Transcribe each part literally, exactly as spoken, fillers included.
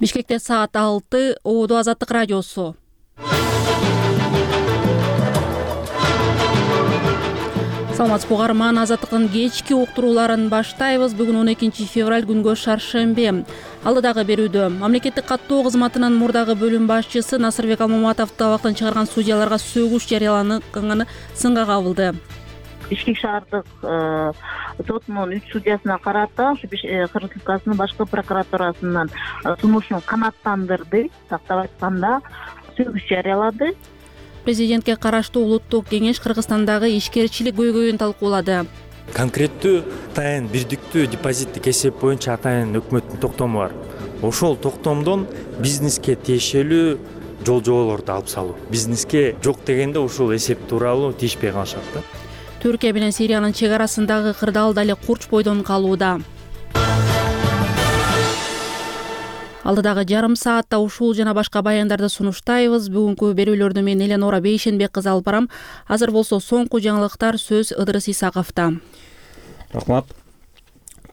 Бишкекте саат алты, Ободо Азаттык радиосу. Саламатсызбы угарман, Азаттыктын кечки уктурууларын баштайбыз. Бүгүн он экинчи февраль, күнгө шаршемби. Алдыдагы берүүдө мамлекеттик каттоо кызматынын мурдагы бөлүм башчысы Насырбек Алмаматов табактан чыгарган судьяларга сөгүш жарыялаганы сынга кабылды. Бишкек шаардык сотунун үч судьясына карата Кыргыз Республикасынын башкы прокуратурасынын сунушун канааттандырды, тактап айтканда сөгүш жарыялады. Президентке караштуу улуттук кеңеш Кыргызстандагы ишкерчилик көйгөйүн талкуулады. Конкреттүү атайын бирдиктүү депозиттик эсеп боюнча атайын өкмөттүн токтому бар. Ошол токтомдон бизнеске тиешелүү жол жоболорду алып салуу. Бизнеске жок дегенде ушул эсеп тууралуу тийишпей калышат да. Түркия менен Сириянын чек арасындагы кырдаал дали курч бойдон калууда. Алдыдагы жарым саатта ушул жана башка баяндарды сунуштайбыз. Бүгүнкү берүүлөрдү мен Эленора Бейшенбек кызы алып барам. Азыр болсо соңку жаңылыктар сөз Ыдырыс Исаковдо. Рахмат.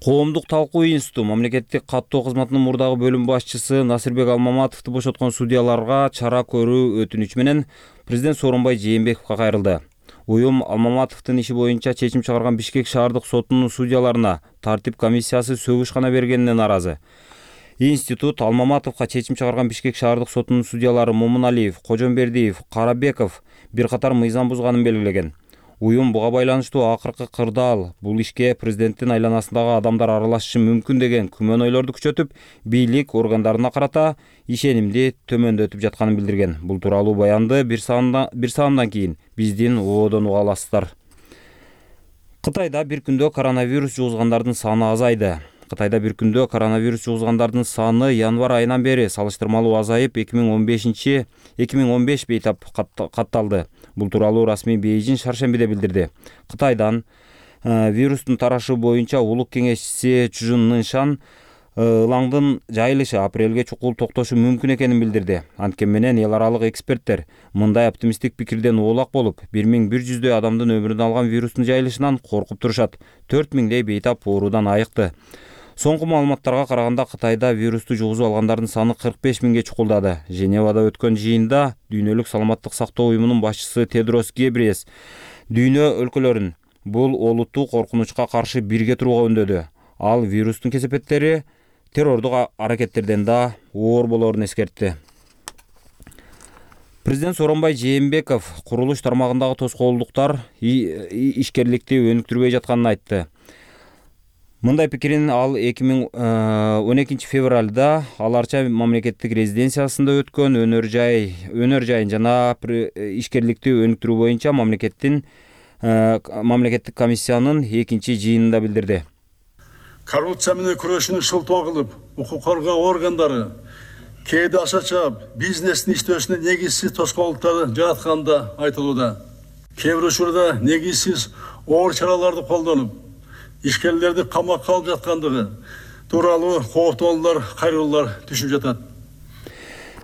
Коомдук талкуу институту мамлекеттик каттоо кызматынын мурдагы бөлүм башчысы Насырбек Алмаматовду бошоткон судьяларга чара көрүү өтүнүч менен президент Сооронбай Жээнбековго кайрылды. Уюм Алмаматовдун иши боюнча чечим чыгарган Бишкек шаардык сотунун судьяларына тартип комиссиясы сөгүш гана бергенине нааразы. Институт Алмаматовго чечим чыгарган Бишкек шаардык сотунун судьялары Момуналиев, Кожомбердиев, Карабеков бир катар мыйзам бузганын белгилеген. Уюм буга байланыштуу акыркы кырдаал бул ишке президенттин айланасындагы адамдар аралашышы мүмкүн деген күмөн ойлорду күчөтүп, бийлик органдарына карата ишенимди төмөндөтүп жатканын билдирген. Бул тууралуу баянды бир саамдан кийин биздин Ободон уга аласыздар. Кытайда бир күндө коронавирус жугузгандардын саны азайды. Кытайда бир күндө коронавирус жугузгандардын саны январь айынан бери салыштырмалуу азайып эки миң он беш бейтап катталды. Бул тууралуу расмий Бейжин шаршембиде билдирди. Кытайдан вирустун тарашы боюнча улук кеңешчиси Чжун Ныншан ылаңдын жайылышы апрелге чукул токтошу мүмкүн экенин билдирди. Анткени менен эл аралык эксперттер мындай оптимисттик пикирден оолак болуп, бир миң бир жүздөй адамдын өмүрүн алган вирустун жайылышынан коркуп турушат. төрт миңдей бейтап оорудан айыкты. Соңку маалыматтарга караганда Кытайда вирусту жугузуп алгандардын саны кырк беш миңге чукулдады. Женевада өткөн жыйында Дүйнөлүк саламаттык сактоо уюмунун башчысы Тедрос Гебриес дүйнө өлкөлөрүн бул олуттуу коркунучка каршы бирге турууга үндөдү. Ал вирустун кесепеттери террордук аракеттерден да оор болоорун эскертти. Президент Сооронбай Жээнбеков курулуш тармагындагы тоскоолдуктар ишкерликти өнүктүрбөй жатканын айтты. Мындай пикирин ал эки миң он экинчи февралда Аларча мамлекеттик резиденциясында өткөн өнөр жай өнөр жайын жана ишкерликти өнүктүрүү боюнча мамлекеттин мамлекеттик комиссиянын экинчи жыйынында билдирди. Коррупция менен күрөшүүнү шылтоо кылып, укук коргоо органдары кээде аша чаап, бизнестин иштөөсүнө негизсиз тоскоолдуктарды жаратканда айтылууда. Кээ бир учурда негизсиз оор чараларды колдонуп, ишкерлерди камакка алып жаткандыгы тууралуу кооптоолор, кайрылуулар түшүп жатат.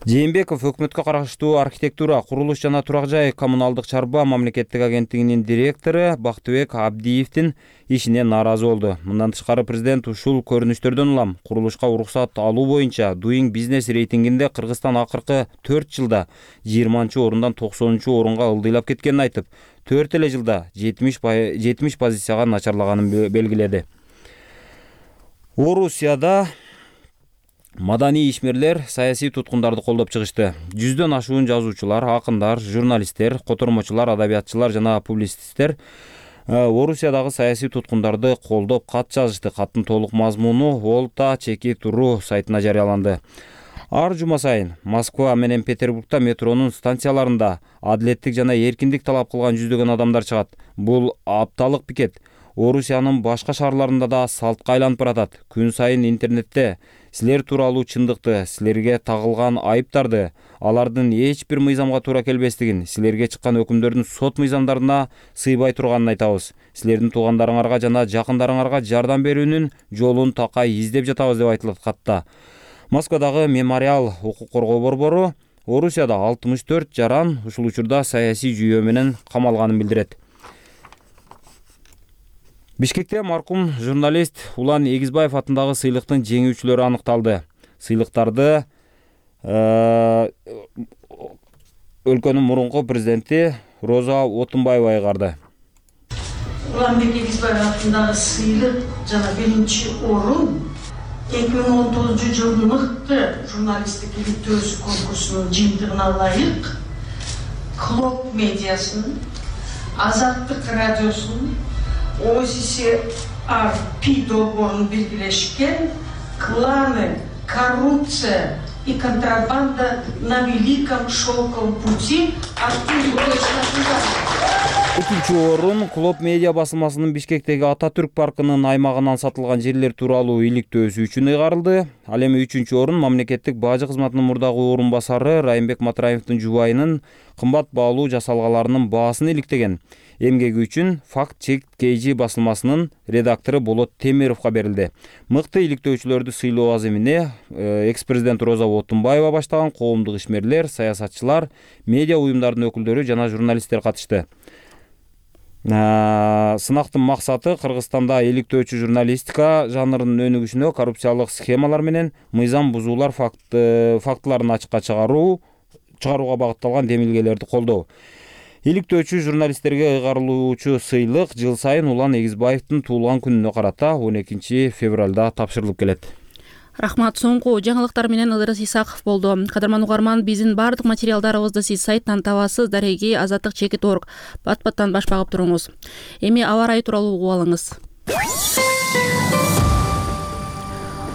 Жээнбеков өкмөткө караштуу архитектура, курулуш жана турак жай коммуналдык чарба мамлекеттик агенттигинин директору Бактыбек Абдиевдин ишине нааразы болду. Мындан тышкары президент ушул көрүнүштөрдөн улам курулушка уруксат алуу боюнча Doing Business рейтингинде Кыргызстан акыркы төрт жылда жыйырманчы орундан токсонунчу орунга ылдыйлап кеткенин айтып, төрт эле жылда жетимиш позицияга начарлаганын белгиледи. Орусияда маданий ишмерлер саясий туткундарды колдоп чыгышты. Жүздөн ашуун жазуучулар, акындар, журналисттер, котормочулар, адабиятчылар жана публицисттер Орусиядагы саясий туткундарды колдоп кат жазышты. Каттын толук мазмуну Волта чеки туру сайтына жарыяланды. Ар жума сайын Москва менен Петербургда метронун станцияларында адилеттик жана эркиндик талап кылган жүздөгөн адамдар чыгат. Бул апталык пикет Орусиянын башка шаарларында да салтка айланып баратат. Күн сайын интернетте силер тууралуу чындыкты, силерге тагылган айыптарды, алардын эч бир мыйзамга туура келбестигин, силерге чыккан өкүмдөрдүн сот мыйзамдарына сыйбай турганын айтабыз. Силердин туугандарыңарга жана жакындарыңарга жардам берүүнүн жолун такай издеп жатабыз деп айтылат катта. Москвадагы Мемориал укук коргоо борбору Орусияда алтымыш төрт жаран ушул учурда саясий жүйөө менен камалганын билдирет. Бишкекте маркум журналист Улан Эгизбаев атындагы сыйлыктын жеңүүчүлөрү аныкталды. Сыйлыктарды өлкөнүн мурунку президенти Роза Отунбаева айгарды. Уланбек Егизбаев атындагы сыйлык жана биринчи орун эки миң он тогузунчу жылдын мыкты журналисттик иликтөөсү конкурсунун жыйынтыгына ылайык Клоп медиасынын, Азаттык радиосунун, О С С Р П долбоорунун биргилешкен «Кланы, коррупция и контрабанда на Великом Шелковом пути» аттуу Экинчи орун Клоп медиа басылмасынын Бишкектеги Ататүрк паркынын аймагынан сатылган жерлер тууралуу иликтөөсү үчүн ыйгарылды. Ал эми үчүнчү орун мамлекеттик бажы кызматынын мурдагы орун басары Райымбек Матраевдин жубайынын кымбат баалуу жасалгаларынын баасын иликтеген эмгеги үчүн Факт Чек Кей Жи басылмасынын редактору Болот Темировго берилди. Мыкты иликтөөчүлөрдү сыйлоо аземине экс-президент Роза Отунбаева баштаган коомдук ишмерлер, саясатчылар, медиа уюмдарынын өкүлдөрү жана журналисттер катышты. Сынактын максаты Кыргызстанда иликтөөчү журналистика жанрынын өнүгүшүнө коррупциялык схемалар менен мыйзам бузуулар фактыларын ачыкка чыгаруу чыгарууга багытталган демилгелерди колдоо. Иликтөөчү журналисттерге ыйгарылуучу сыйлык жыл сайын Улан Эгизбаевдин туулган күнүнө карата он экинчи февралда тапшырылып келет. Рахмат. Соңку жаңылыктар менен Ыдырыс Исаков болду. Кадырман угарман, биздин бардык материалдарыбызды сиз сайттан табасыз. Дареги азаттык чекит точка орг. Бат-баттан баш багып туруңуз. Эми аба ырайы тууралуу угуп алыңыз.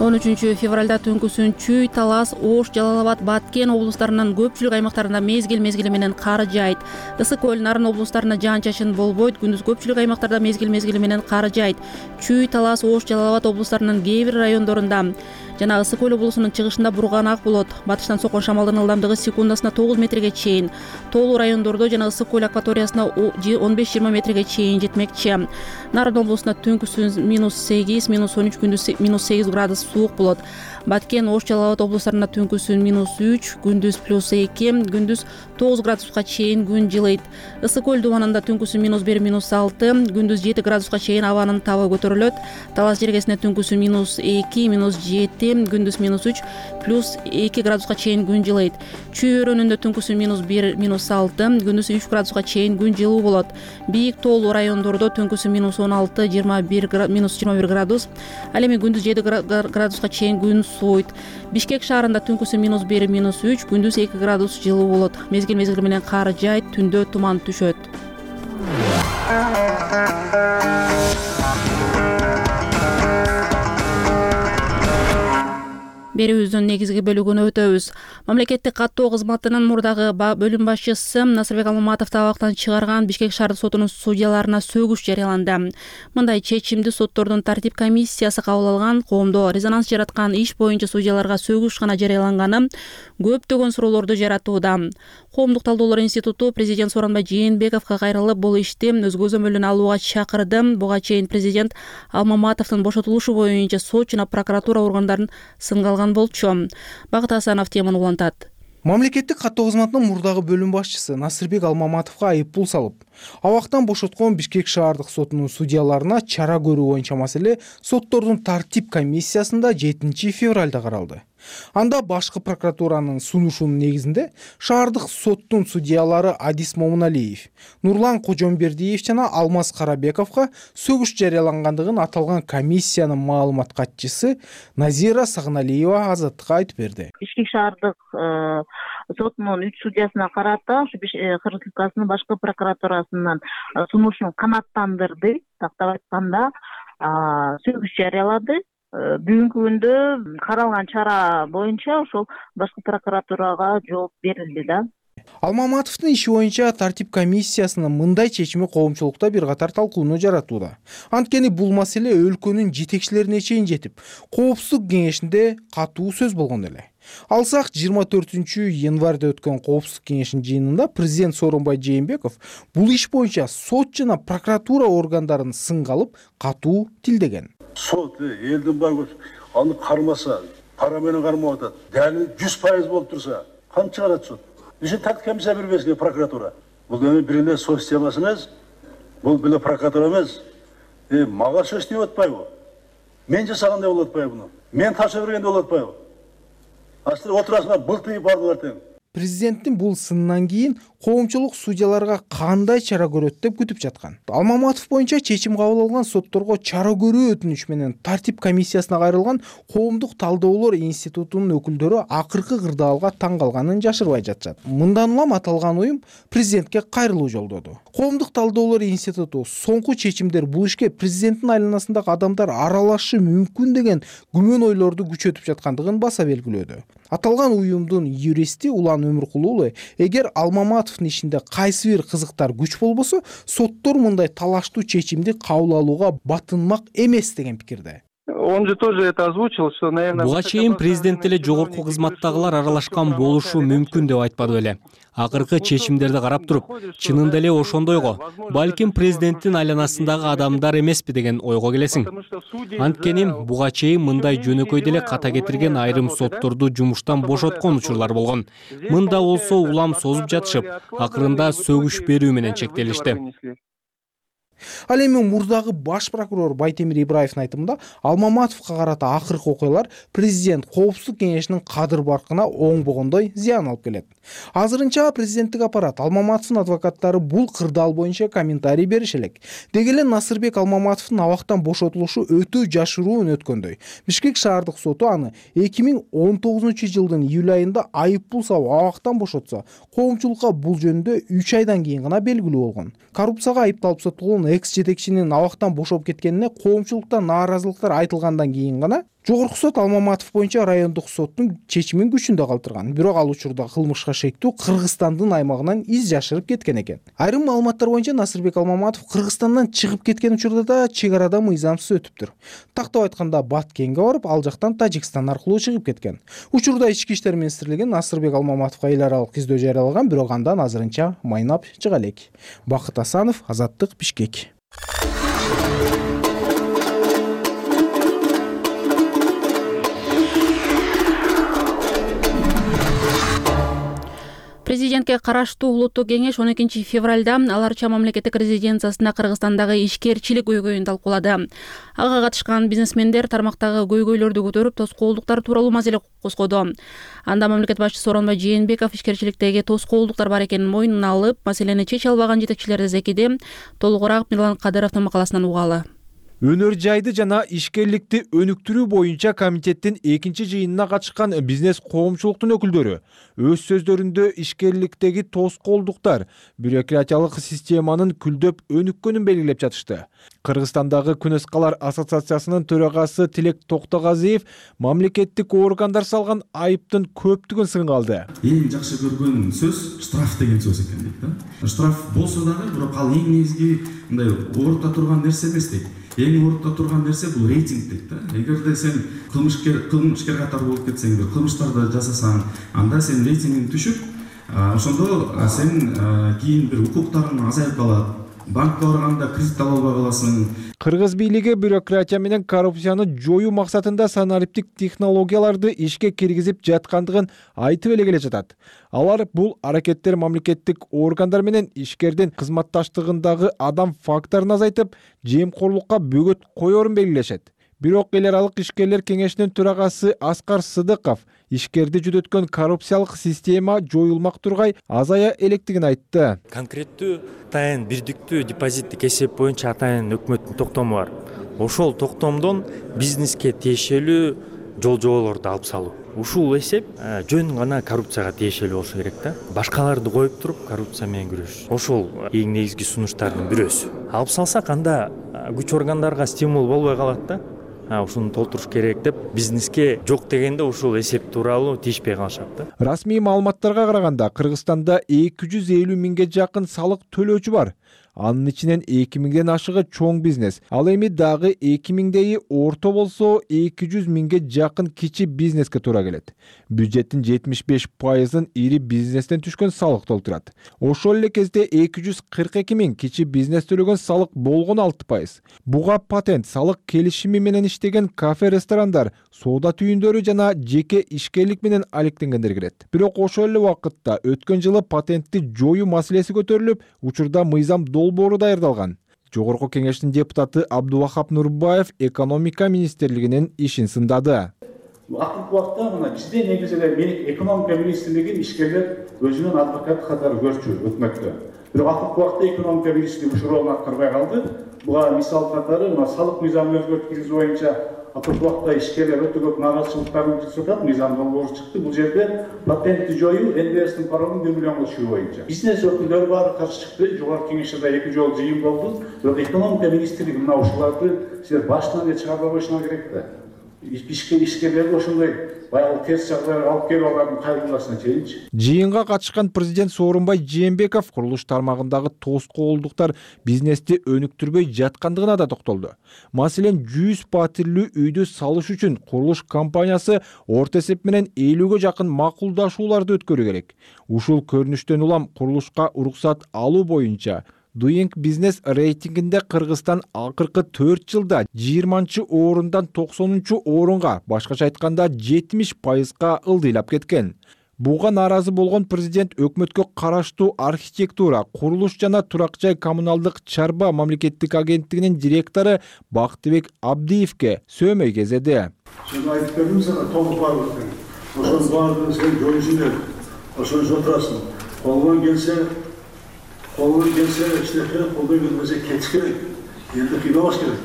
он үчүнчү февралда түнкүсүн Чүй, Талас, Ош, Жалал Абад, Баткен облустарынын көпчүлүк аймактарында мезгил-мезгили менен кар жаайт. Ысык көл, Нарын облустарында жаан-чачын болбойт. Күндүз көпчүлүк аймактарда мезгил-мезгили менен кар жаайт. Чүй, Талас, Ош, Жалал Абад облустарынын кээ бир райондорунда жана Ысык көл облусунун чыгышында бурганак болот. Батыштан соккон шамалдын ылдамдыгы секундасына тогуз метрге чейин. Тоолуу райондордо жана Ысык көл акваториясына он беш жыйырма метрге чейин жетмекчи. Нарын облусунда түнкүсүн минус сегиз, минус он үч, күндүз минус сегиз градус суук болот. Баткен, Ош, Жалал Абад облустарында түнкүсүн минус үч, күндүз плюс эки, күндүз тогуз градуска чейин күн жылыйт. Ысык көл дубанында түнкүсүн минус бир, минус алты, күндүз жети градуска чейин абанын табы көтөрүлөт. Талас жергесинде түнкүсүн минус эки, минус жети, күндүз минус үч, плюс эки градуска чейин күн жылыйт. Чүй өрөөнүндө түнкүсүн минус бир, минус алты, күндүз үч градуска чейин күн жылуу болот. Бийик тоолуу райондордо түнкүсүн минус он алты, жыйырма бир, минус жыйырма бир градус. Ал эми күндүз жети градуска чейин күн сууйт. Бишкек шаарында түнкүсүн минус бир, минус үч, күндүз эки градус жылуу болот. Мезгил-мезгили менен кар жаайт, түндө туман түшөт. Берүүбүздүн негизги бөлүгүнө өтөбүз. Мамлекеттик каттоо кызматынын мурдагы бөлүм башчысы Насырбек Алмаматовду абактан чыгарган Бишкек шаардык сотунун судьяларына сөгүш жарыяланды. Мындай чечимди соттордун тартип комиссиясы кабыл алган. Коомдо резонанс жараткан иш боюнча судьяларга сөгүш гана жарыяланганы көптөгөн суроолорду жаратууда. Коомдук талдоолор институту президент Сооронбай Жээнбековго кайрылып бул ишти өз көзөмөлүнө алууга чакырды. Буга чейин президент Алмаматовдун бошотулушу боюнча сот жана прокуратура органдарын сынга алган болчу. Багыт Асанов теманы улантат. Мамлекеттик каттоо кызматынын мурдагы бөлүм башчысы Насырбек Алмаматовго айып пул салып, абактан бошоткон Бишкек шаардык сотунун судьяларына чара көрүү боюнча маселе соттордун тартип комиссиясында жетинчи февралда каралды. Анда башкы прокуратуранын сунушунун негизинде шаардык соттун судьялары Адис Момуналиев, Нурлан Кожомбердиев жана Алмаз Карабековго сөгүш жарыялангандыгын аталган комиссиянын маалымат катчысы Назира Сагыналиева Азаттыкка айтып берди. Бишкек шаардык сотунун үч судьясына карата Кыргыз Республикасынын башкы прокуратурасынын сунушун канааттандырды. Тактап айтканда сөгүш жарыялады. Бүгүнкү күндө каралган чара боюнча ошол башкы прокуратурага жооп берилди да. Алмаматовдун иши боюнча тартип комиссиясынын мындай чечими коомчулукта бир катар талкууну жаратууда. Анткени бул маселе өлкөнүн жетекчилерине чейин жетип, коопсуздук кеңешинде катуу сөз болгон эле. Алсак жыйырма төртүнчү январда өткөн коопсуздук кеңешинин жыйынында президент Сооронбай Жээнбеков бул иш боюнча сот жана прокуратура органдарын сынга алып, катуу тилдеген. Сот элдин баары аны кармаса, пара менен кармап атат. Дәли жүз пайыз болуп турса, канча чыгарат сот? Ишин тартип комиссия бербеске прокуратура. Бул эми бир эле сот системасы эмес, бул бир эле прокуратура эмес. Э, мага сөз тийип атпайбы? Мен жасагандай болуп атпайбы буну? Мен тапшырып бергенде болуп атпайбы? Качтыр отурасыңар былтыйып бардылар тең. Президенттин бул сынынан кийин коомчулук судьяларга кандай чара көрөт деп күтүп жаткан. Алмаматов боюнча чечим кабыл алган сотторго чара көрүү өтүнүч менен тартип комиссиясына кайрылган коомдук талдоолор институтунун өкүлдөрү акыркы кырдаалга таң калганын жашырбай жатышат. Мындан улам аталган уюм президентке кайрылуу жолдоду. Коомдук талдоолор институту соңку чечимдер бул ишке президенттин айланасындагы адамдар аралашышы мүмкүн деген күмөн ойлорду күчөтүп жаткандыгын баса белгилөөдө. Аталган уюмдун юристи Улан Өмүркулуу эгер Алмаматовдун ишинде кайсы бир кызыктар күч болбосо, соттор мындай талаштуу чечимди кабыл алууга батынмак эмес деген пикирде. Он же тоже это озвучил, что, наверное... Буга чейин президент эле жогорку кызматтагылар аралашкан болушу мүмкүн деп айтпады беле. Акыркы чечимдерди карап туруп, чынында эле ошондойго, балким президенттин айланасындагы адамдар эмеспи деген ойго келесиң. Анткени буга чейин мындай жөнөкөй деле ката кетирген айрым сотторду жумуштан бошоткон учурлар болгон. Мында болсо улам созуп жатышып, акырында сөгүш берүү менен чектелишти. Ал эми мурдагы баш прокурор Байтемир Ибраевдин айтымында Алмаматовго карата акыркы окуялар президент коопсуздук кеңешинин кадыр баркына оңбогондой зыян алып келет. Азырынча президенттик аппарат Алмаматовдун адвокаттары бул кырдаал боюнча комментарий бериш элек. Деги эле Насырбек Алмаматовдун абактан бошотулушу өтө жашыруун өткөндөй. Бишкек шаардык соту аны эки миң он тогузунчу жылдын июль айында айып пул салып абактан бошотса, коомчулукка бул жөнүндө үч айдан кийин гана белгилүү болгон. Коррупцияга айыпталып сотулган экс жетекчинин абактан бошоп кеткенине коомчулукта нааразылыктар айтылгандан кийин гана Жогорку сот Алмаматов боюнча райондук соттун чечимин күчүндө калтырган. Бирок ал учурда кылмышка шектүү Кыргызстандын аймагынан из жашырып кеткен экен. Айрым маалыматтар боюнча Насырбек Алмаматов Кыргызстандан чыгып кеткен учурда да чек арада мыйзамсыз өтүптүр. Тактап айтканда Баткенге барып, ал жактан Тажикстан аркылуу чыгып кеткен. Учурда Ички иштер министрлиги Насырбек Алмаматовго эл аралык издөө жарыялаган, бирок андан азырынча майнап чыга элек. Бакыт Асанов, Азаттык, Бишкек. Президентке караштуу улуттук кеңеш он экинчи февралда Аларча мамлекеттик резиденциясында Кыргызстандагы ишкерчилик көйгөйүн талкуулады. Ага катышкан бизнесмендер тармактагы көйгөйлөрдү көтөрүп, тоскоолдуктар тууралуу маселе козгоду. Анда мамлекет башчысы Сооронбай Жээнбеков ишкерчиликтеги тоскоолдуктар бар экенин мойнуна алып, маселени чече албаган жетекчилерди зекиди. Толугураак Мирлан Кадыровдун макаласынан угалы. Өнөр жайды жана ишкерликти өнүктүрүү боюнча комитеттин экинчи жыйынына катышкан бизнес коомчулуктун өкүлдөрү өз сөздөрүндө ишкерликтеги тоскоолдуктар бюрократиялык системанын күлдөп өнүккөнүн белгилеп жатышты. Кыргызстандагы Күнөскалар ассоциациясынын төрагасы Тилек Токтогазиев мамлекеттик органдар салган айыптын көптүгүн сынга алды. Эң жакшы көргөн сөз штраф деген сөз экен дейт да. Штраф болсо дагы, бирок ал эң негизги мындай орто турган нерсе эмес дейт. Эң орто турган нерсе бул рейтинг дейт да. Эгерде сен кылмышкер кылмышкер катары болуп кетсең, бир кылмыштарды жасасаң, анда сен рейтингиң түшүп, ошондо сен кийин бир укуктарың азайып калат. Банкка барганда кредит ала албай каласың. Кыргыз бийлиги бюрократия менен коррупцияны жоюу максатында санариптик технологияларды ишке киргизип жаткандыгын айтып эле келе жатат. Алар бул аракеттер мамлекеттик органдар менен ишкердин кызматташтыгындагы адам факторун азайтып, жемкорлукка бөгөт коерун белгилешет. Бирок эл аралык ишкерлер кеңешинин төрагасы Аскар Сыдыков ишкерди жүдөткөн коррупциялык система жоюлмак тургай азая электигин айтты. Конкреттүү атайын бирдиктүү депозиттик эсеп боюнча атайын өкмөттүн токтому бар. Ошол токтомдон бизнеске тиешелүү жол жоболорду алып салуу. Ушул эсеп жөн гана коррупцияга тиешелүү болушу керек да. Башкаларды коюп туруп коррупция менен күрөш. Ошол эң негизги сунуштардын бирөөсү. Алып салсак анда күч органдарга стимул болбой калат да. Ушуну толтуруш керек деп бизнеске жок дегенде ушул эсеп тууралуу тийишпей калышат да. Расмий маалыматтарга караганда Кыргызстанда эки жүз элүү миңге жакын салык төлөөчү бар. Анын ичинен эки миңден ашыгы чоң бизнес. Ал эми дагы эки миңдейи орто болсо эки жүз миңге жакын кичи бизнеске туура келет. Бюджеттин жетимиш беш пайызын ири бизнестен түшкөн салык толтурат. Ошол эле кезде эки жүз кырк эки миң кичи бизнес төлөгөн салык болгон алты пайыз. Буга патент, салык келишими менен иштеген кафе, ресторандар, соода түйүндөрү жана жеке ишкерлик менен алектенгендер кирет. Бирок ошол эле убакытта өткөн жылы патентти жоюу маселеси көтөрүлүп, учурда мыйзам долбоору даярдалган. Жогорку кеңештин депутаты Абдувахап Нурбаев экономика министрлигинин ишин сындады. Акыркы убакта мына бизде негизи эле экономика министрлигин ишкерлер өзүнүн адвокат катары көрчү өкмөттө. Бирок акыркы убакта экономика министрлиги ушул ролун аткарбай калды. Буга мисал катары мына салык мыйзамын өзгөрткүзүү боюнча акыркы убакта ишкерлер өтө көп наразычылыктарын билдирип атат. Мыйзам долбоору чыкты. Бул жерде патентти жоюу, эн дэ эстин парогун бир миллионго түшүрүү боюнча. Бизнес өкүлдөрү баары каршы чыкты. Жогорку кеңеште эки жолу жыйын болду. Бирок экономика министрлиги мына ушуларды силер башынан эле чыгарбай коюшуңар керек да. Ишкерлерди ошондой баягы терс жагдайга алып келип алардын кайрылуусуна чейинчи. Жыйынга катышкан президент Сооронбай Жээнбеков курулуш тармагындагы тоскоолдуктар бизнести өнүктүрбөй жаткандыгына да токтолду. Маселен, жүз патирлүү үйдү салыш үчүн курулуш компаниясы орто эсеп менен элүүгө жакын макулдашууларды өткөрүү керек. Ушул көрүнүштөн улам курулушка уруксат алуу боюнча Doing Business рейтингинде Кыргызстан акыркы төрт жылда жыйырманчы орундан токсонунчу орунга, башкача айтканда жетимиш пайызга ылдыйлап кеткен. Буга нааразы болгон президент өкмөткө караштуу архитектура, курулуш жана турак жай коммуналдык чарба мамлекеттик агенттигинин директору Бактыбек Абдиевке сөөмөй кезеди. Сен айтып бердим сага толук баардык. Ошонун баардыгын сен көрүшүңөр. Ошончо отурасың. Колдон келсе Қолдан келсе, іштеп керек, қолдан келмесе кетіш керек. Енді қинамаш керек.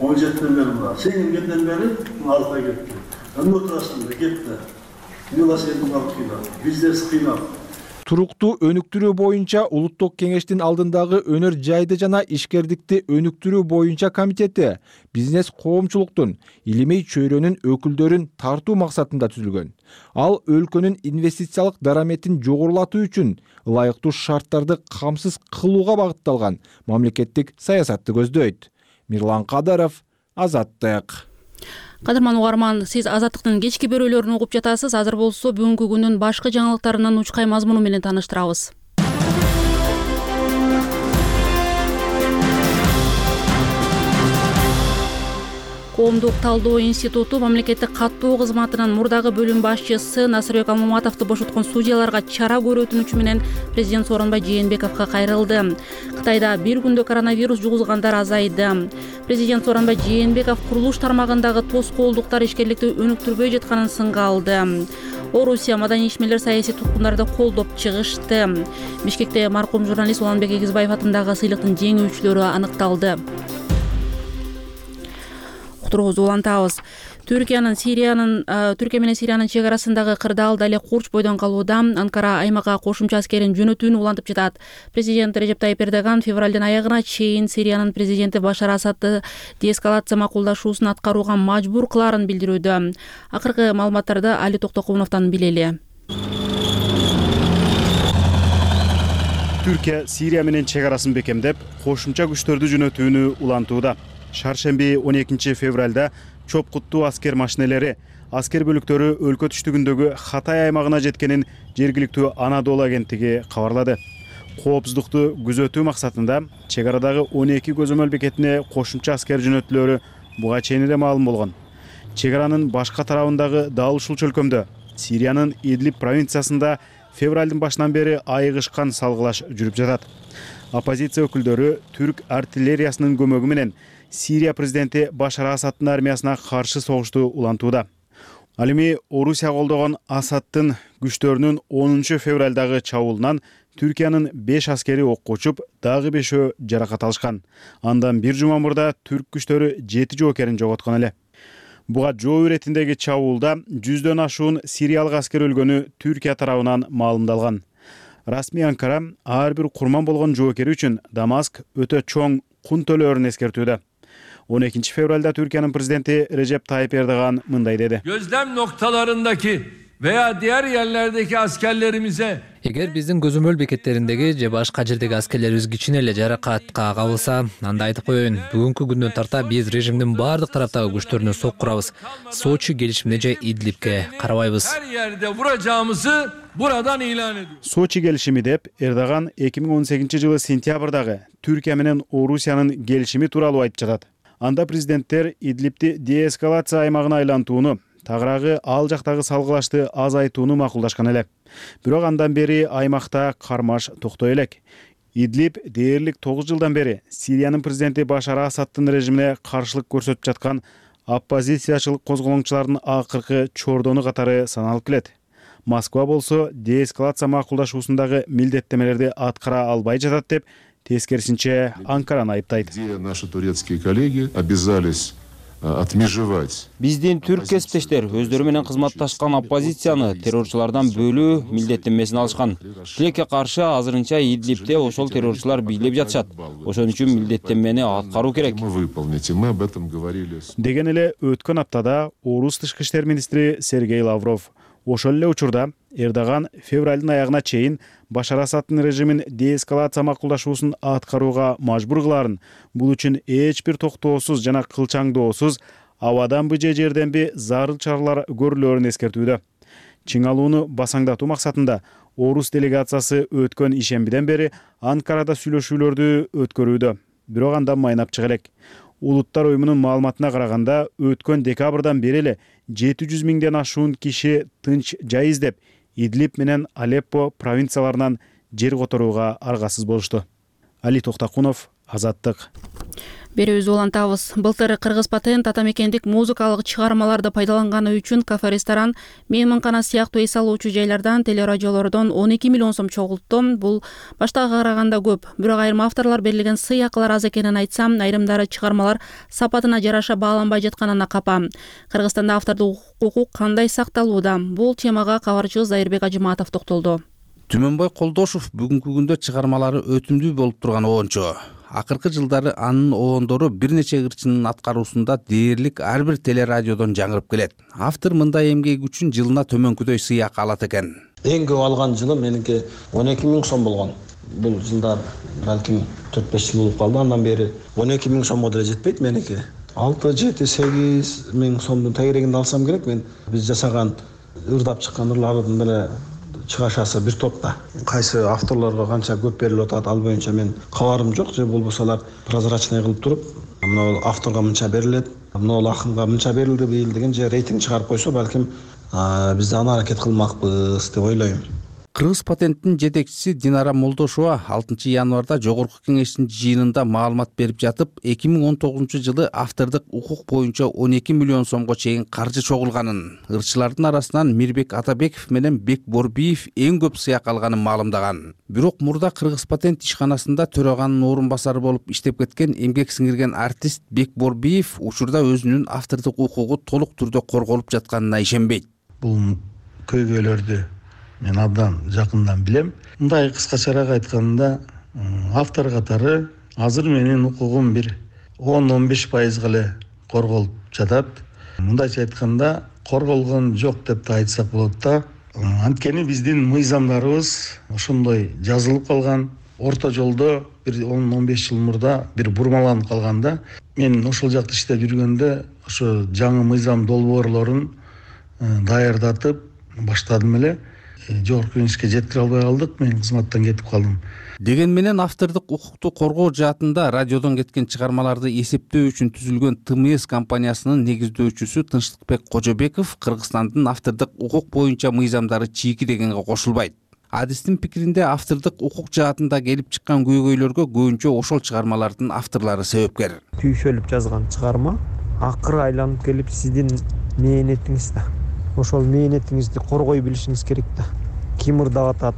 он жетіден бері бұлар. Сен келгенден бері алта кетті. Әні отырасың да кетті. Мила сенің алып қинап. Бизнес қинап. Туруктуу өнүктүрүү боюнча Улуттук кеңештин алдындагы өнөр жайды жана ишкердикти өнүктүрүү боюнча комитети бизнес коомчулуктун илимий чөйрөнүн өкүлдөрүн тартуу максатында түзүлгөн. Ал өлкөнүн инвестициялык дараметин жогорулатуу үчүн ылайыктуу шарттарды камсыз кылууга багытталган мамлекеттик саясатты көздөйт. Мирлан Кадыров, Азаттык. Кадырман угарман, сиз Азаттыктын кечки бөрөлөрүн угуп жатасыз. Азыр болсо бүгүнкү күнүн башкы жаңылыктарынан учкай мазмуну менен тааныштырабыз. Коомдук талдоо институту мамлекеттик каттоо кызматынын мурдагы бөлүм башчысы Насырбек Алмаматовду бошоткон судьяларга чара көрүү өтүнүчү менен президент Сооронбай Жээнбековго кайрылды. Кытайда бир күндө коронавирус жугузгандар азайды. Президент Сооронбай Жээнбеков курулуш тармагындагы тоскоолдуктар ишкерликти өнүктүрбөй жатканын сынга алды. Орусия маданий ишмерлер саясий туткундарды колдоп чыгышты. Бишкекте маркум журналист Уланбек Эгизбаев атындагы сыйлыктын жеңүүчүлөрү аныкталды. Улантабыз. Түркиянын Сириянын Түркия менен Сириянын чек арасындагы кырдаал дале курч бойдон калууда. Анкара аймакка кошумча аскерин жөнөтүүнү улантып жатат. Президент Режеп Тайип Эрдоган февралдын аягына чейин Сириянын президенти Башар Асадты деэскалация макулдашуусун аткарууга мажбур кылаарын билдирүүдө. Акыркы маалыматтарды Али Токтокуновдон билели. Түркия Сирия менен чек арасын бекемдеп, кошумча күчтөрдү жөнөтүүнү улантууда. Шаршемби он экинчи февралда чопкуттуу аскер машинелери, аскер бөлүктөрү өлкө түштүгүндөгү Хатай аймагына жеткенин жергиликтүү Анадолу агенттиги кабарлады. Коопсуздукту күзөтүү максатында чек арадагы он эки көзөмөл бекетине кошумча аскер жөнөтүлөрү буга чейин эле маалым болгон. Чек аранын башка тарабындагы дал ушул чөлкөмдө Сириянын Идлиб провинциясында февралдын башынан бери айыгышкан салгылаш жүрүп жатат. Оппозиция өкүлдөрү түрк артиллериясынын көмөгү менен Сирия президенти Башар Асадтын армиясына каршы согушту улантууда. Ал эми Орусия колдогон Асадтын күчтөрүнүн онунчу февралдагы чабуулунан Түркиянын беш аскери окко учуп, дагы бешөө жаракат алышкан. Андан бир жума мурда түрк күчтөрү жети жоокерин жоготкон эле. Буга жоо иретиндеги чабуулда жүздөн ашуун сириялык аскер өлгөнү Түркия тарабынан маалымдалган. Расмий Анкара ар бир курман болгон жоокери үчүн Дамаск өтө чоң кун төлөөрүн эскертүүдө. on экинчи февралда Türkiye'nin prezidenti Recep Tayyip Erdoğan mınday dedi. Gözlem noktalarındaki veya diğer yerlerdeki askerlerimize Эгер биздин көзөмөл бекеттериндеги же башка жердеги аскерлерибиз кичине эле жаракатка кабылса, анда айтып коеюн, бүгүнкү күндөн тарта биз режимдин баардык тараптагы күчтөрүнө сокку урабыз. Сочи келишимине же Идлибке карабайбыз. Her yerde vuracağımızı buradan ilan ediyor. Сочи келишими деп Эрдоган эки миң он сегизинчи жылы сентябрдагы Түркия менен Орусиянын келишими тууралуу айтып жатат. Анда президенттер Идлибти деэскалация аймагына айлантууну, тагыраагы ал жактагы салгылашты азайтууну макулдашкан эле. Бирок андан бери аймакта кармаш токтой элек. Идлиб дээрлик тогуз жылдан бери Сириянын президенти Башар Асадтын режимине каршылык көрсөтүп жаткан оппозициячылык козголоңчулардын акыркы чордону катары саналып келет. Москва болсо деэскалация макулдашуусундагы милдеттемелерди аткара албай жатат деп тескерисинче Анкараны айыптайт. Наши турецкие коллеги обязались отмежевать. Биздин түрк кесиптештер өздөрү менен кызматташкан оппозицияны террорчулардан бөлүү милдеттенмесин алышкан. Тилекке каршы азырынча Идлибте ошол террорчулар бийлеп жатышат. Ошон үчүн милдеттенмени аткаруу керек. Мы об этом говорили. Деген эле өткөн аптада Орус тышкы иштер министри Сергей Лавров ошол эле учурда Эрдоган февралдын аягына чейин Башар Асаддын режимин деэскалация макулдашуусун аткарууга мажбур кыларын, бул үчүн эч бир токтоосуз жана кылчаңдоосуз абаданбы же жерденби зарыл чаралар көрүлөөрүн эскертүүдө. Чиң алууну басаңдатуу максатында Орус делегациясы өткөн ишембиден бери Анкарада сүйлөшүүлөрдү өткөрүүдө. Бирок андан майнап чыга элек. Улуттар уюмунун маалыматына караганда, өткөн декабрдан бери эле жети жүз миңден ашуун киши тынч жай издеп, Идлиб менен Алеппо провинцияларынан жер которууга аргасыз болушту. Али Токтакунов, Азаттык. Берүүбүздү улантабыз. Былтыр Кыргыз Патент ата мекендик музыкалык чыгармаларды пайдаланганы үчүн кафе, ресторан, мейманкана сыяктуу эс алуучу жайлардан, телерадиолордон он эки миллион сом чогултту. Бул баштагыга караганда көп. Бирок айрым авторлор берилген сый акылар аз экенин айтсам, айрымдары чыгармалар сапатына жараша бааланбай жатканына капа. Кыргызстанда автордук укук кандай сакталууда? Бул темага кабарчыбыз Зайырбек Ажыматов токтолду. Түмөнбой Колдошов бүгүнкү күндө чыгармалары өтүмдүү болуп турган оончу. Акыркы жылдары анын оондору бир нече ырчынын аткаруусунда дээрлик ар бир телерадиодон жаңырып келет. Автор мындай эмгеги үчүн жылына төмөнкүдөй сый акы алат экен. Эң көп алган жылы меники он эки миң сом болгон. Бул жылдар балким төрт беш жыл болуп калды. Андан бери он эки миң сомго деле жетпейт меники. алты жети сегиз миң сомдун тегерегинде алсам керек. Мен биз жасаган ырдап чыккан ырлардын деле чыгашасы бир топта. Кайсы авторлорго канча көп берилип атат, ал боюнча мен кабарым жок. Же болбосо алар прозрачный кылып туруп, мына авторго мынча берилет, мына акынга мынча берилди быйыл деген же рейтинг чыгарып койсо, балким биз да аны аракет кылмакпыз деп ойлойм. Кыргыз Патенттин жетекчиси Динара Молдошова алтынчы январда жогорку кеңештин жыйынында маалымат берип жатып, эки миң он тогузунчу жылы автордук укук боюнча он эки миллион сомго чейин каржы чогулганын, ырчылардын арасынан Мирбек Атабеков менен Бек Борбиев эң көп сыяк алганын маалымдаган. Бирок мурда Кыргыз Патент ишканасында төраганын орун басары болуп иштеп кеткен эмгек сиңирген артист Бек Борбиев учурда өзүнүн автордук укугу толук түрдө корголуп жатканына ишенбейт. Бул көйгөйлөрдү мен абдан жакындан билем. Мындай кыскачараак айтканда, автор катары азыр менин укугум бир он он беш пайызга эле корголуп жатат. Мындайча айтканда, корголгон жок деп да айтсак болот да. Анткени биздин мыйзамдарыбыз ошондой жазылып калган. Орто жолдо бир он он беш жыл мурда бир бурмаланып калганда, мен ошол жакта иштеп жүргөндө ошо жаңы мыйзам долбоорлорун даярдатып баштадым эле. Жогорку кеңешке жеткире албай калдык, мен кызматтан кетип калдым. Деген менен автордук укукту коргоо жаатында радиодон кеткен чыгармаларды эсептөө үчүн түзүлгөн Т М С компаниясынын негиздөөчүсү Тынчтыкбек Кожобеков Кыргызстандын автордук укук боюнча мыйзамдары чийки дегенге кошулбайт. Адистин пикиринде автордук укук жаатында келип чыккан көйгөйлөргө көбүнчө ошол чыгармалардын авторлору себепкер. Түйшөлүп жазган чыгарма акыры айланып келип сиздин мээнетиңиз да. Ошол мээнетиңизди коргой билишиңиз керек да. Ким ырдап атат,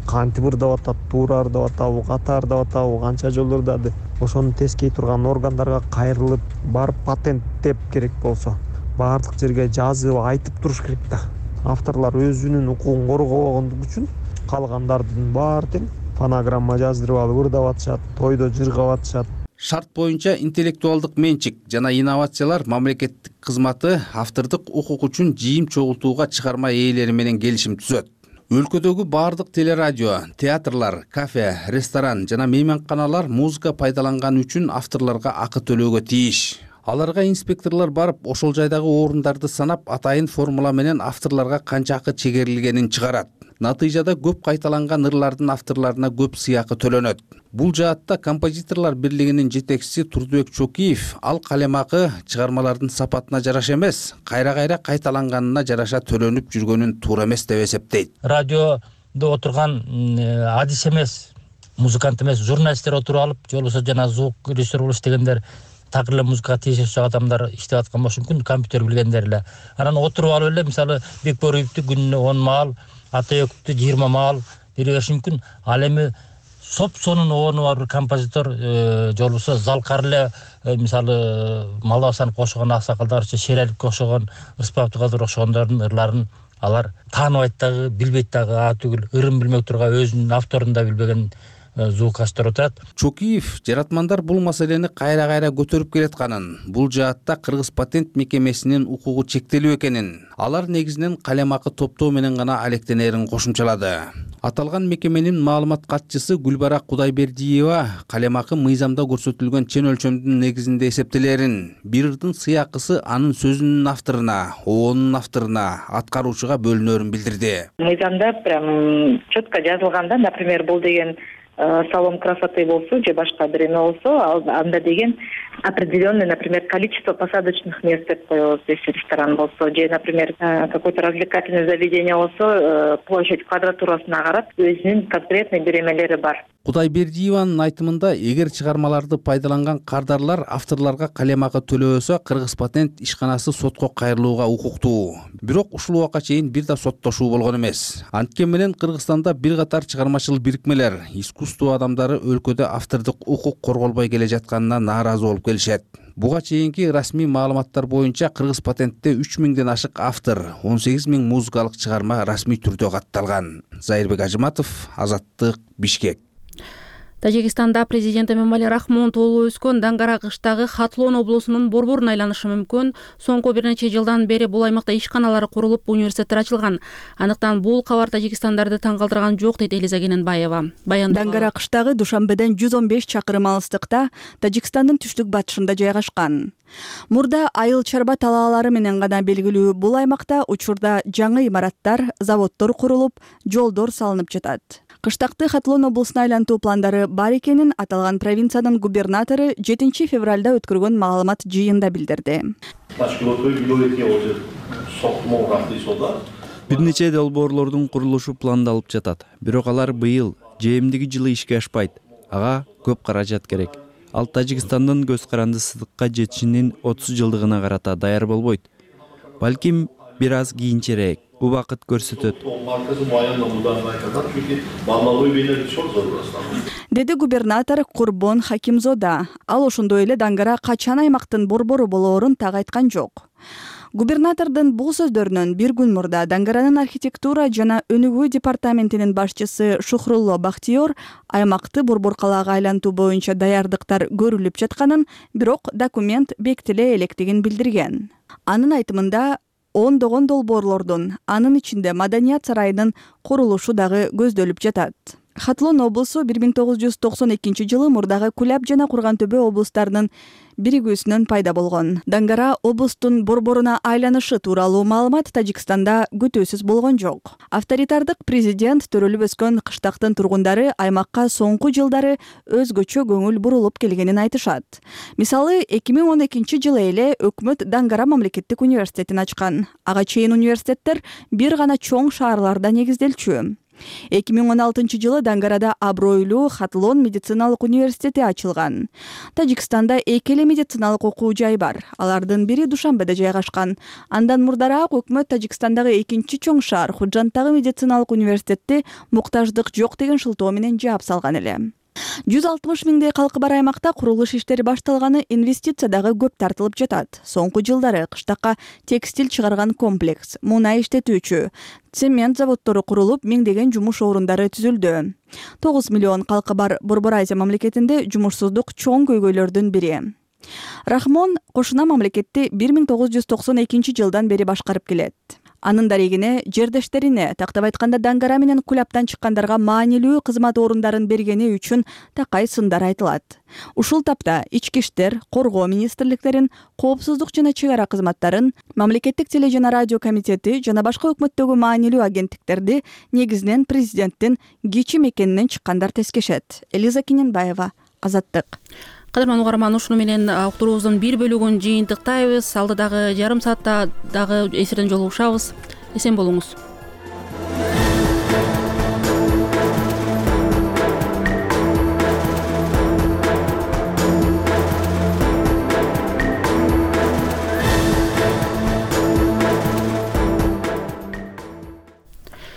кантип ырдап атат, туура ырдап атабы, ката ырдап атабы, канча жолу ырдады. Ошону тескей турган органдарга кайрылып, барып патенттеп керек болсо, баардык жерге жазып айтып туруш керек да. Авторлор өзүнүн укугун коргобогондугу үчүн калгандардын баары тең фонограмма жаздырып алып ырдап атышат, тойдо жыргап атышат. Шарт боюнча интеллектуалдык менчик жана инновациялар мамлекеттик кызматы автордук укук үчүн жыйым чогултууга чыгарма ээлери менен келишим түзөт. Өлкөдөгү баардык телерадио, театрлар, кафе, ресторан жана мейманканалар музыка пайдаланган үчүн авторлорго акы төлөөгө тийиш. Аларга инспекторлор барып, ошол жайдагы орундарды санап, атайын формула менен авторлорго канча акы чегерилгенин чыгарат. Натыйжада көп кайталанган ырлардын авторлоруна көп сый акы төлөнөт. Бул жаатта композиторлор бирлигинин жетекчиси Турдубек Чокиев ал калемакы чыгармалардын сапатына жараша эмес, кайра-кайра кайталанганына жараша төлөнүп жүргөнүн туура эмес деп эсептейт. Радиодо отурган адис эмес, музыкант эмес, журналисттер отуруп алып, же болбосо жана звук режиссер болуш дегендер такыр эле музыкага тиешеси адамдар иштеп аткан болушу мүмкүн, компьютер билгендер эле. Анан отуруп алып эле мисалы Бекборовду күнүнө он маал, Атаековду жыйырма маал бере бериши мүмкүн. Ал эми соп-сонун орну бар бир композитор же болбосо Залкар эле мисалы Малбасанов кошогон аксакалдарча Шералиевге окшогон, Рыспай Абдыкадыр окшогондордун ырларын алар тааныбайт дагы, билбейт дагы, а түгүл ырын билмей турга өзүнүн авторун да билбеген звукачтар отурат. Чокиев жаратмандар бул маселени кайра-кайра көтөрүп келатканын, бул жаатта Кыргыз патент мекемесинин укугу чектелүү экенин, алар негизинен калемакы топтоо менен гана алектенерин кошумчалады. Аталган мекеменин маалымат катчысы Гүлбара Кудайбердиева калемакы мыйзамда көрсөтүлгөн чен өлчөмдүн негизинде эсептелерин, бир ырдын сыйакысы анын сөзүнүн авторуна, оонунун авторуна, аткаруучуга бөлүнөрүн билдирди. Мыйзамда прям четко жазылганда, например, бул деген салон красоты болсо же башка бир эме болсо, анда деген определенное, например, количество посадочных мест деп коебуз. Если ресторан болсо же, например, какое-то развлекательное заведение болсо, площадь квадратурасына карап өзүнүн конкретный бир эмелери бар. Кудайбердиеванын айтымында, эгер чыгармаларды пайдаланган кардарлар авторлорго калемакы төлөбөсө, Кыргыз патент ишканасы сотко кайрылууга укуктуу. Бирок ушул убакка чейин бир да соттошуу болгон эмес. Анткени менен Кыргызстанда бир катар чыгармачыл бирикмелер, искусство адамдары өлкөдө автордук укук корголбой келе жатканына нааразы болуп келишет. Буга чейинки расмий маалыматтар боюнча Кыргыз патентте үч миңден ашык автор, он сегиз миң музыкалык чыгарма расмий түрдө катталган. Зайырбек Ажыматов, Азаттык, Бишкек. Тажикстанда президент Эмомали Рахмон толуп өскөн Дангара кыштагы Хатлон облусунун борборун айланышы мүмкүн. Соңку бир нече жылдан бери бул аймакта ишканалар курулуп, университеттер ачылган. Анықтан бул кабар Тажикстандарды таң калтырган жок, дейт Элиза Кененбаева. Дангара кыштагы Душанбеден жүз он беш чакырым алыстыкта Тажикстандын түштүк батышында жайгашкан. Мурда айыл чарба талаалары менен гана белгилүү бул аймакта учурда жаңы имараттар, заводдор курулуп, жолдор салынып жатат. Кыштакты Хатлон облусуна айлантуу пландары бар экенин аталган провинциянын губернатору жетинчи февралда өткөргөн маалымат жыйында билдирди. Бир нече долбоорлордун курулушу пландалып жатат. Бирок алар быйыл же эмдиги жылы ишке ашпайт. Ага көп каражат керек. Ал Тажикстандын көз каранды сыдыкка жетишинин отуз жылдыгына карата даяр болбойт. Балким бир аз кийинчерээк убакыт көрсөтөт, деди губернатор Курбон Хакимзода. Ал ошондой эле Дангара качан аймактын борбору болоорун так айткан жок. Губернатордун бул сөздөрүнөн бир күн мурда Дангаранын архитектура жана өнүгүү департаментинин башчысы Шухрулло Бахтиёр аймакты борбор калаага айлантуу боюнча даярдыктар көрүлүп жатканын, бирок документ бекитиле электигин билдирген. Анын айтымында ондогон долбоорлордун, анын ичинде Маданият сарайынын курулушу дагы көздөлүп жатат. Хатлон облусу бир миң тогуз жүз токсон экинчи жылы мурдагы Куляб жана Курган төбө облустарынын биригүүсүнөн пайда болгон. Дангара облустун борборуна айланышы тууралуу маалымат Тажикстанда күтүүсүз болгон жок. Авторитардык президент төрөлүп өскөн кыштактын тургундары аймакка соңку жылдары өзгөчө көңүл бурулуп келгенин айтышат. Мисалы, эки миң он экинчи жылы эле өкмөт Дангара мамлекеттик университетин ачкан. Ага чейин университеттер бир гана чоң шаарларда негизделчү. эки миң он алтынчы жылы Дангарада абройлуу Хатлон медициналык университети ачылган. Тажикстанда эки эле медициналык окуу жай бар. Алардын бири Душанбеде жайгашкан. Андан мурдараак өкмөт Тажикстандагы экинчи чоң шаар Худжанттагы медициналык университетти муктаждык жок деген шылтоо менен жаап салган эле. жүз алтымыш миңдей калкы бар аймакта курулуш иштери башталганы, инвестиция дагы көп тартылып жатат. Соңку жылдары кыштакка текстиль чыгарган комплекс, мунай иштетүүчү, цемент заводдору курулуп, миңдеген жумуш орундары түзүлдү. тогуз миллион калкы бар Борбор Азия мамлекетинде жумушсуздук чоң көйгөйлөрдүн бири. Рахмон кошуна мамлекетти бир миң тогуз жүз токсон экинчи жылдан бери башкарып келет. Анын дарегине, жердештерине, тактап айтканда Дангара менен Кулябтан чыккандарга маанилүү кызмат орундарын бергени үчүн такай сындар айтылат. Ушул тапта ички иштер, коргоо министрликтерин, коопсуздук жана чек ара кызматтарын, мамлекеттик теле жана радио комитети жана башка өкмөттөгү маанилүү агенттиктерди негизинен президенттин кечим экенинен чыккандар тескешет. Элиза Кененбаева, Азаттык. Кадырман угарман, ушуну менен уктуруубуздун бир бөлүгүн жыйынтыктайбыз. Алдыдагы жарым саатта дагы эфирден жолугушабыз. Эсен болуңуз.